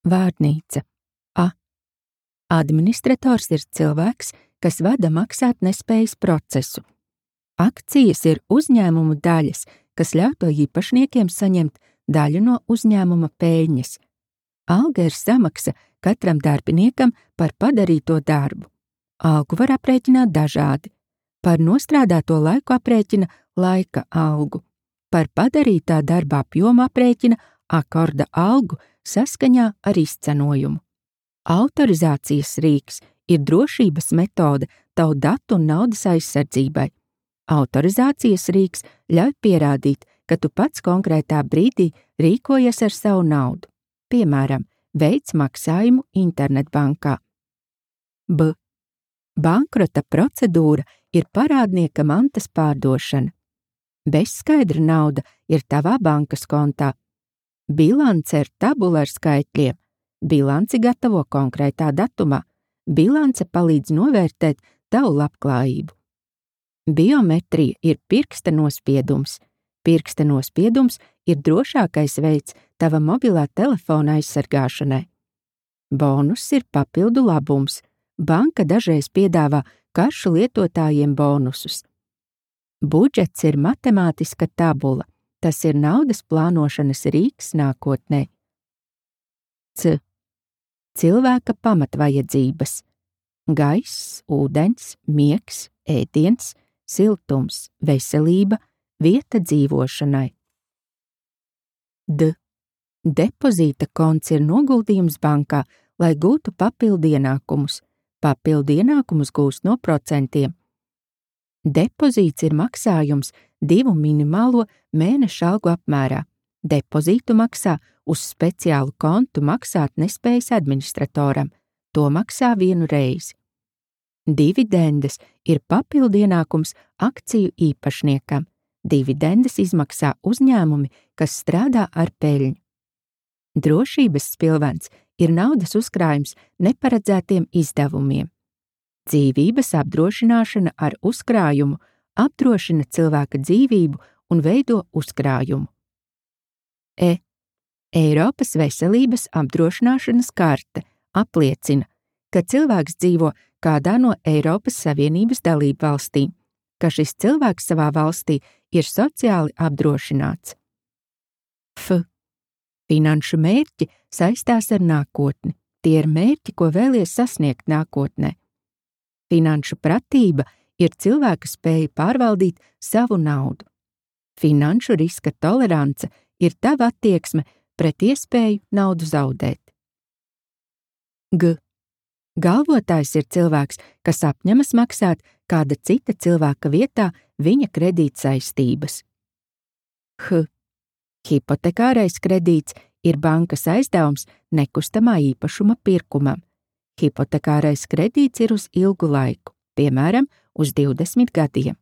Vārnīca. A. Administrators ir cilvēks, kas vada maksātnespējas procesu. Akcijas ir uzņēmumu daļas, kas ļauj to īpašniekiem saņemt daļu no uzņēmuma peļņas. Alga ir samaksa katram darbiniekam par padarīto darbu. Algu var aprēķināt dažādi. Par nostrādāto laiku aprēķina laika algu. Par padarītā darba apjomu aprēķina akorda algu saskaņā ar izcenojumu. Autorizācijas rīks ir drošības metode tavu datu un naudas aizsardzībai. Autorizācijas rīks ļauj pierādīt, ka tu pats konkrētā brīdī rīkojies ar savu naudu. Piemēram, veic maksājumu internetbankā. B. Bankrota procedūra ir parādnieka mantas pārdošana. Bezskaidra nauda ir tavā bankas kontā. Bilance ir tabula ar skaitļiem. Bilanci gatavo konkrētā datumā. Bilance palīdz novērtēt tavu labklājību. Biometrija ir pirksta nospiedums. Pirksta nospiedums ir drošākais veids tava mobilā telefona aizsargāšanai. Bonus ir papildu labums. Banka dažreiz piedāvā karšu lietotājiem bonusus. Budžets ir matemātiska tabula. Tas ir naudas plānošanas rīks nākotnē. C. Cilvēka pamatvajadzības. Gaiss, ūdens, miegs, ēdiens, siltums, veselība, vieta dzīvošanai. D. Depozīta konts ir noguldījums bankā, lai gūtu papildu ienākumus. Papildu ienākumus gūst no procentiem. Depozīts ir maksājums 2 minimālo mēneša algu apmērā. Depozītu maksā uz speciālu kontu maksātnespējas administratoram. To maksā 1 reizi. Dividendes ir papildu ienākums akciju īpašniekam. Dividendes izmaksā uzņēmumi, kas strādā ar peļņu. Drošības spilvens ir naudas uzkrājums neparedzētiem izdevumiem. Dzīvības apdrošināšana ar uzkrājumu apdrošina cilvēka dzīvību un veido uzkrājumu. E. Eiropas veselības apdrošināšanas karte apliecina, ka cilvēks dzīvo kādā no Eiropas Savienības dalībvalstīm, ka šis cilvēks savā valstī ir sociāli apdrošināts. F. Finanšu mērķi saistās ar nākotni. Tie ir mērķi, ko vēlies sasniegt nākotnē. Finanšu pratība ir cilvēka spēja pārvaldīt savu naudu. Finanšu riska tolerance ir tava attieksme pret iespēju naudu zaudēt. G. Galvotājs ir cilvēks, kas apņemas maksāt kāda cita cilvēka vietā viņa kredītsaistības. H. Hipotekārais kredīts ir bankas aizdevums nekustamā īpašuma pirkumam. Hipotekārais kredīts ir uz ilgu laiku, piemēram, uz 20 gadiem.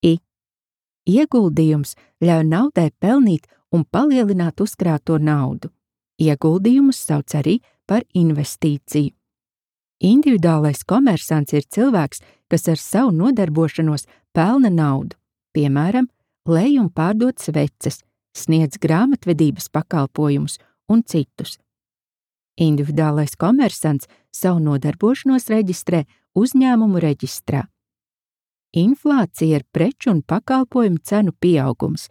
I. Ieguldījums ļauj naudai pelnīt un palielināt uzkrāto naudu. Ieguldījumus sauc arī par investīciju. Individuālais komersants ir cilvēks, kas ar savu nodarbošanos pelna naudu, piemēram, lej un pārdod sveces, sniedz grāmatvedības pakalpojumus un citus. Individuālais komersants savu nodarbošanos reģistrē uzņēmumu reģistrā. Inflācija ir preču un pakalpojumu cenu pieaugums.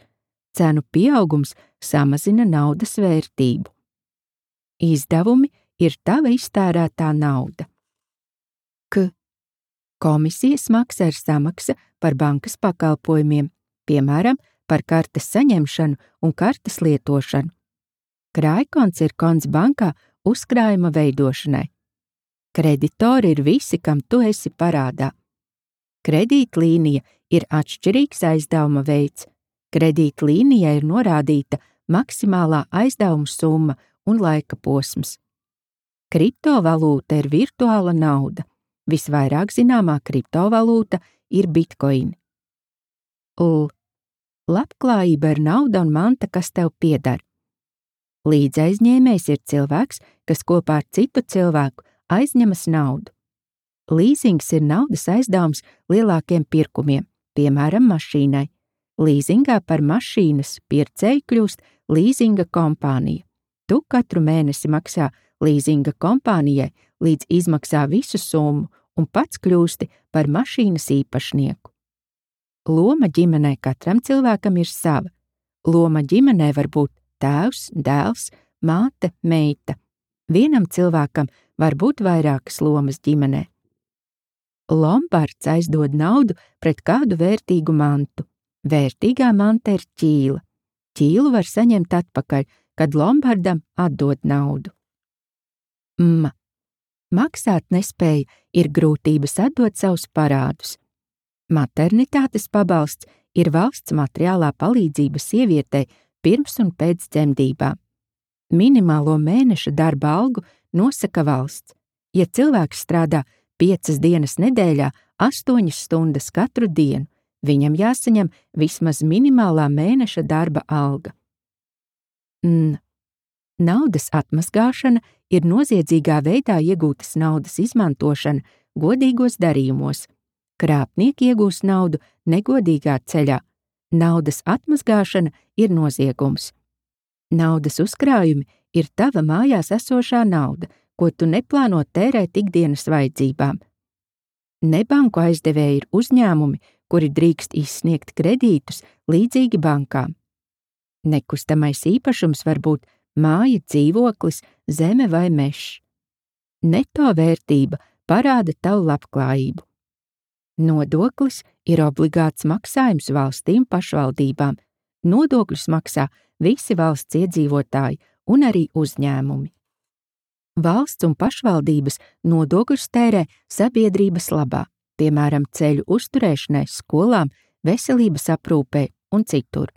Cenu pieaugums samazina naudas vērtību. Izdevumi ir tava iztērētā nauda. K. Komisijas maksa ir samaksa par bankas pakalpojumiem, piemēram, par kartes saņemšanu un kartes lietošanu. Krājkonts ir konts bankā uzkrājuma veidošanai. Kreditori ir visi, kam tu esi parādā. Kredītlīnija ir atšķirīgs aizdevuma veids. Kredītlīnijai ir norādīta maksimālā aizdevuma summa un laika posms. Kriptovalūta ir virtuāla nauda. Visvairāk zināmā kriptovalūta ir bitcoin. L. Labklājība ir nauda un manta, kas tev pieder. Līdzaizņēmējs ir cilvēks, kas kopā ar citu cilvēku aizņemas naudu. Līzings ir naudas aizdevums lielākiem pirkumiem, piemēram, mašīnai. Līzingā par mašīnas pircēju kļūst līzinga kompānija. Tu katru mēnesi maksā līzinga kompānijai, līdz izmaksā visu summu un pats kļūsti par mašīnas īpašnieku. Loma ģimenē katram cilvēkam ir sava. Loma ģimenē var būt tēvs, dēls, māte, meita. Vienam cilvēkam var būt vairākas lomas ģimenē. Lombards aizdod naudu pret kādu vērtīgu mantu. Vērtīgā manta ir ķīla. Ķīlu var saņemt atpakaļ, kad Lombardam atdod naudu. Maksāt nespēja ir grūtības atdot savus parādus. Maternitātes pabalsts ir valsts materiālā palīdzība sievietei pirms un pēc dzemdībām. Minimālo mēneša darba algu nosaka valsts. Ja cilvēks strādā 5 dienas nedēļā, 8 stundas katru dienu, viņam jāsaņem vismaz minimālā mēneša darba alga. Naudas atmazgāšana ir noziedzīgā veidā iegūtas naudas izmantošana godīgos darījumos. Krāpnieki iegūs naudu negodīgā ceļā. Naudas atmazgāšana ir noziegums. Naudas uzkrājumi ir tava mājās esošā nauda, ko tu neplāno tērēt ikdienas vajadzībām. Nebanku aizdevēji ir uzņēmumi, kuri drīkst izsniegt kredītus līdzīgi bankām. Nekustamais īpašums var būt māja, dzīvoklis, zeme vai mežs. Neto vērtība parāda tavu labklājību. Nodoklis ir obligāts maksājums valstīm pašvaldībām. Nodokļus maksā visi valsts iedzīvotāji un arī uzņēmumi. Valsts un pašvaldības nodokļus tērē sabiedrības labā, piemēram, ceļu uzturēšanai, skolām, veselības aprūpei un citur.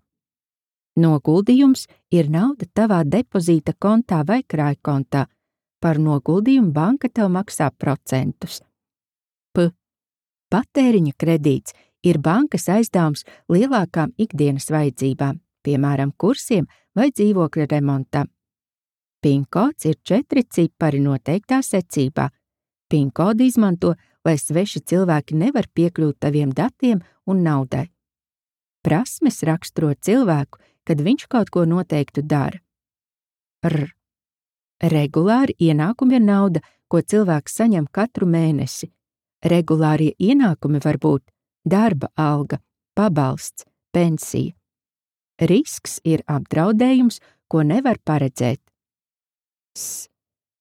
Noguldījums ir nauda tavā depozīta kontā vai krājkontā. Par noguldījumu banka tev maksā procentus. Patēriņa kredīts ir bankas aizdevums lielākām ikdienas vajadzībām, piemēram, kursiem vai dzīvokļa remontam. PIN-kods ir 4 cipari noteiktā secībā. PIN-kodu izmanto, lai sveši cilvēki nevar piekļūt taviem datiem un naudai. Prasmes raksturo cilvēku, kad viņš kaut ko noteiktu dara. Regulāri ienākumi ir nauda, ko cilvēks saņem katru mēnesi. Regulārie ienākumi var būt darba alga, pabalsts, pensija. Risks ir apdraudējums, ko nevar paredzēt.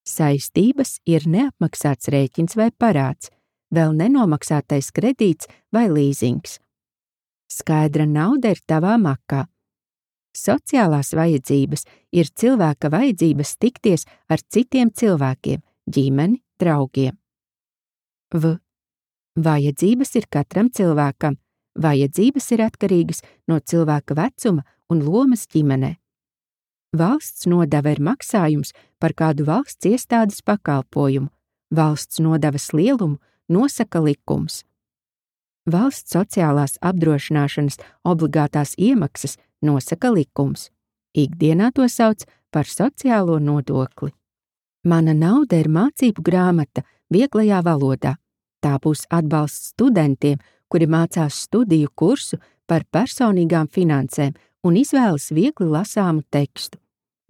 Saistības ir neapmaksāts rēķins vai parāds, vēl nenomaksātais kredīts vai līzings. Skaidra nauda ir tavā makā. Sociālās vajadzības ir cilvēka vajadzības tikties ar citiem cilvēkiem, ģimeni, draugiem. Vajadzības ir katram cilvēkam. Vajadzības ir atkarīgas no cilvēka vecuma un lomas ģimenē. Valsts nodeva ir maksājums par kādu valsts iestādes pakalpojumu. Valsts nodevas lielumu nosaka likums. Valsts sociālās apdrošināšanas obligātās iemaksas nosaka likums. Ikdienā to sauc par sociālo nodokli. Mana nauda ir mācību grāmata vieglajā valodā. Tā būs atbalsts studentiem, kuri mācās studiju kursu par personīgām finansēm un izvēlas viegli lasāmu tekstu.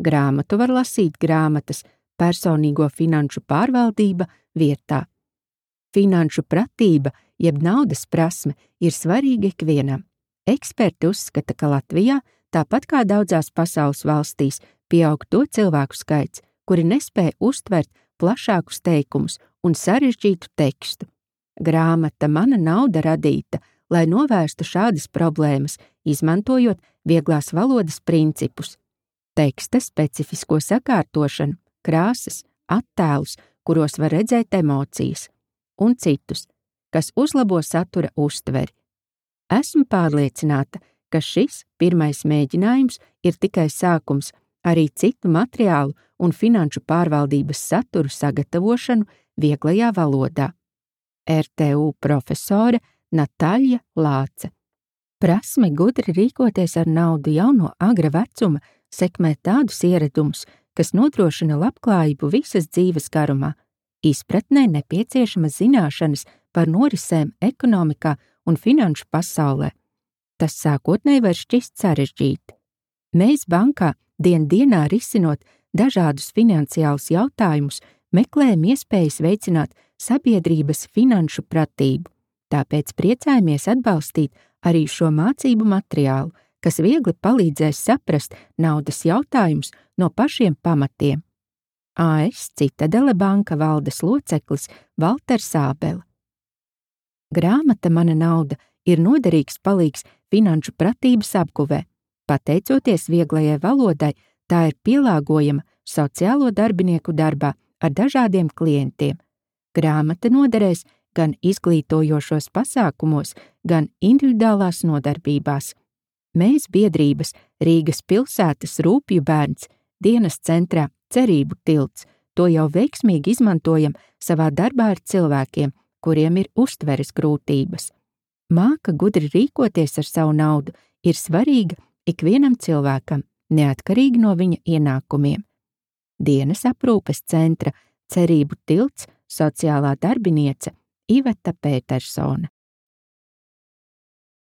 Grāmatu var lasīt grāmatas personīgo finanšu pārvaldība vietā. Finanšu pratība, jeb naudas prasme, ir svarīga ikvienam. Eksperti uzskata, ka Latvijā, tāpat kā daudzās pasaules valstīs, pieaug to cilvēku skaits, kuri nespēj uztvert plašākus teikumus un sarežģītu tekstu. Grāmata Mana nauda radīta, lai novērstu šādas problēmas, izmantojot vieglās valodas principus. Teksta specifisko sakārtošanu, krāsas, attēlus, kuros var redzēt emocijas, un citus, kas uzlabo satura uztveri. Esmu pārliecināta, ka šis pirmais mēģinājums ir tikai sākums arī citu materiālu un finanšu pārvaldības saturu sagatavošanu vieglajā valodā. RTU profesore Natāļa Lāce. Prasme gudri rīkoties ar naudu jau no agra vecuma sekmē tādus ieradumus, kas nodrošina labklājību visas dzīves garumā. Izpratnē nepieciešamas zināšanas par norisēm ekonomikā un finanšu pasaulē. Tas sākotnēji var šķist sarežģīti. Mēs bankā dienā risinot dažādus finansiālus jautājumus, meklējam iespējas veicināt sabiedrības finanšu pratību. Tāpēc priecājamies atbalstīt arī šo mācību materiālu, kas viegli palīdzēs saprast naudas jautājumus no pašiem pamatiem. AS Citadele banka valdes loceklis Valters Ābele. Grāmata Mana nauda ir noderīgs palīgs finanšu pratības apguvē. Pateicoties vieglajai valodai, tā ir pielāgojama sociālo darbinieku darbā ar dažādiem klientiem. Grāmata noderēs gan izglītojošos pasākumos, gan individuālās nodarbībās. Mēs biedrības Rīgas pilsētas Rūpju bērns dienas centrā Cerību tilts to jau veiksmīgi izmantojam savā darbā ar cilvēkiem, kuriem ir uztveres grūtības. Māka gudri rīkoties ar savu naudu ir svarīga ikvienam cilvēkam, neatkarīgi no viņa ienākumiem. Dienas aprūpes centra Cerību tilts sociālā darbiniece Iveta Pētersone.